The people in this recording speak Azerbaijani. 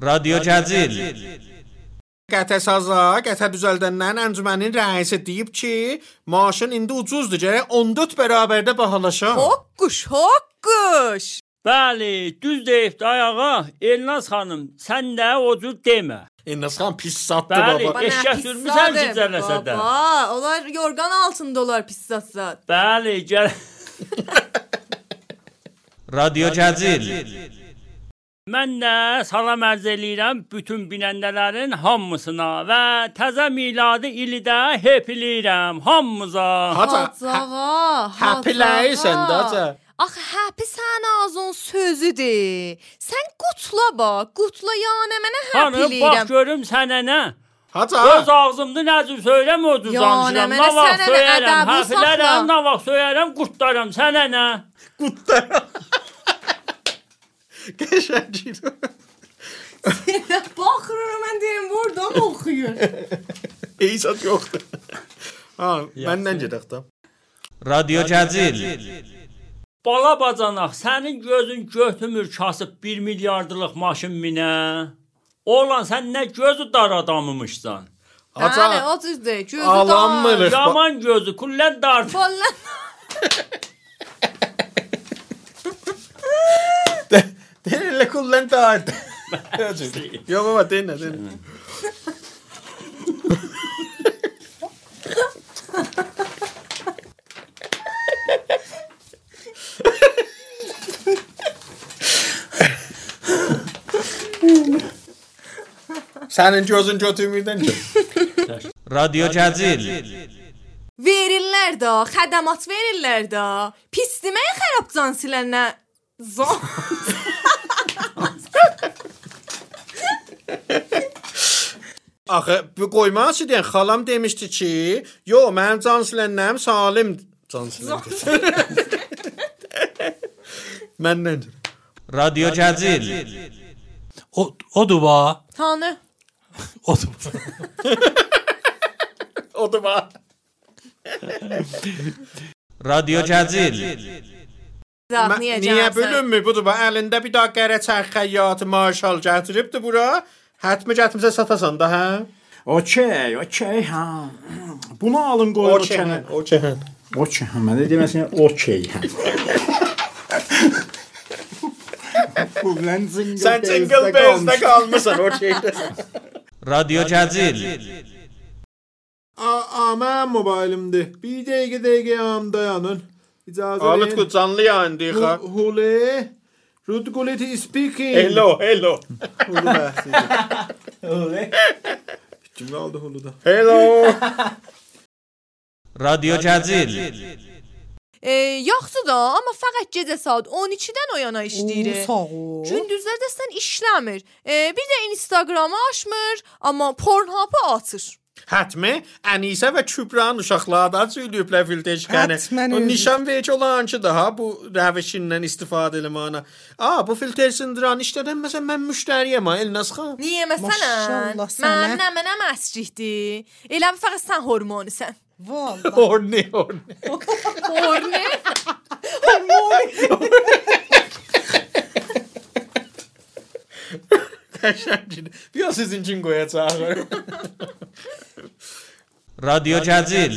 رادیو جزیل Qətə saza, qətə düzəldəndən əncümənin rəisi deyib ki, maaşın indi ucuzdur, gərək 14 bərabərdə bahalaşa. Hokkuş. Bəli, düz deyibdi ayağa. Elnaz xanım, sən də o cür demə. Elnaz xan pis satdı Bəli, baba. eşək sürmüsən cizərləsə də. Baba, onlar yorgan altındalar pis satsat. Bəli, gəl. رادیو جزیل Mən də salam ərz eləyirəm bütün binəndələrin hamısına və təzə miladi ili də hepiləyirəm hamımıza. Hacağa. Həpiləyirsən də haca. Axı həpi sən ağzın sözüdür. Sən qutla bax, qutla yəni mənə Hanım, bax həpiləyirəm. görüm sənə nə? Haca. Öz ağzımda nə cür söyləm o cür danışıram. mənə Nə vaxt sənə söyərəm, ədəbi həfilərəm, saxla. nə vaxt söyərəm, qurtlarım. Sənə nə? Qəşəngdir. Baxıram mən deyirəm burada mı oxuyur? İzad yoxdur. Ha, məndən gedək də. رادیو جزیل Bala bacanaq, sənin gözün götümür kasıb 1 milyardlıq maşın minə. Oğlan, sən nə gözü dar adamımışsan. Bəli, o düzdür. Gözü Alanmırıq. Yaman gözü, kullən dar. Vallahi. Denirlə kullan da. Yox baba, denə. Sənin gözün götürmürdən ki. رادیو جزیل Verirlər də, xədəmat verirlər də. Pis deməyə xərab can silənə. Axı bu qoymaq üçün deyən xalam demişdi ki, yo mənim can silənəm salim can silənəm. Məndən. رادیو جزیل Odur va. Tanı. Odur. O da var. رادیو جزیل Niyə bölünmür? Budur bax, əlində bir daha qərə çərx xəyyatı marşal gətiribdi bura. Hətmi gətirmisə satasan da, hə? Okey, ha. Bunu alın qoyun o kənə. Okey. Okey, mən də deməsin okey. Sən Jingle Bells'də qalmısan, okeydə. رادیو جزیل Mən mobilimdir. Bir dəqiqə am dayanın. İcazə verin. Alıt ku canlı yayındayıq ha. Hule. Rudguleti speaking. Hello. Hulu bəhsidir. Öyle. Kim qaldı huluda? Hello. رادیو جزیل Yaxşı da, amma fəqət gecə saat 12-dən o yana işləyir. Sağ ol. Gündüzlər də işləmir. Bir də Instagramı açmır, amma Pornhub-ı açır. Hətmi, Ənisə və Kübranın uşaqları da söyləyiblər filtrçikəni. Hətmən O özü. nişan verici olan ki daha bu rəvişindən istifadə eləməyinə. Bu filtr sındıran işlərdən məsələn mən müştəriyəm ha, Elnaz xan. Niyə məsələn? Maşallah sənə. Mənəm əsrikdir. Elə fəqət sən hormonisən. Vallahi. Horni. Horni? Qəşəngdir. Biraz sizin üçün qoyacağıq. رادیو جزیل